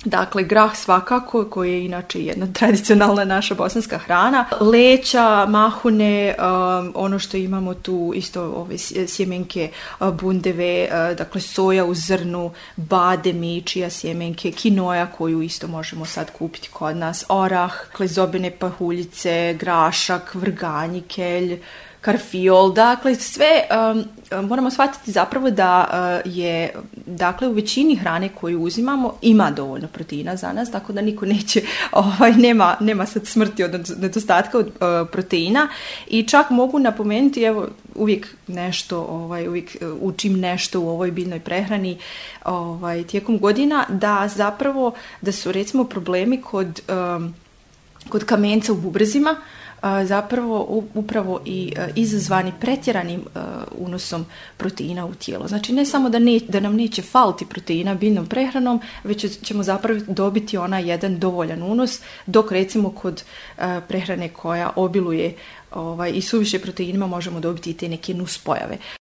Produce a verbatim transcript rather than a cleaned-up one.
Dakle, grah svakako, koji je inače jedna tradicionalna naša bosanska hrana. Leća, mahune, um, ono što imamo tu isto ove sjemenke uh, bundeve, uh, dakle soja u zrnu, bademi, čija sjemenke, kinoja koju isto možemo sad kupiti kod nas, orah, klezobene pahuljice, grašak, vrganji, kelj, karfiol, dakle sve um, moramo shvatiti zapravo da uh, je dakle u većini hrane koju uzimamo ima dovoljno proteina za nas, tako da niko neće, ovaj, nema, nema sad smrti od nedostatka od uh, proteina i čak mogu napomenuti, evo uvijek nešto, ovaj, uvijek učim nešto u ovoj biljnoj prehrani ovaj, tijekom godina, da zapravo da su recimo problemi kod, um, kod kamenca u bubrezima zapravo upravo i izazvani pretjeranim unosom proteina u tijelo. Znači ne samo da, ne, da nam neće faliti proteina biljnom prehranom, već ćemo zapravo dobiti onaj jedan dovoljan unos, dok recimo kod prehrane koja obiluje ovaj, i suviše proteinima možemo dobiti i te neke nuspojave.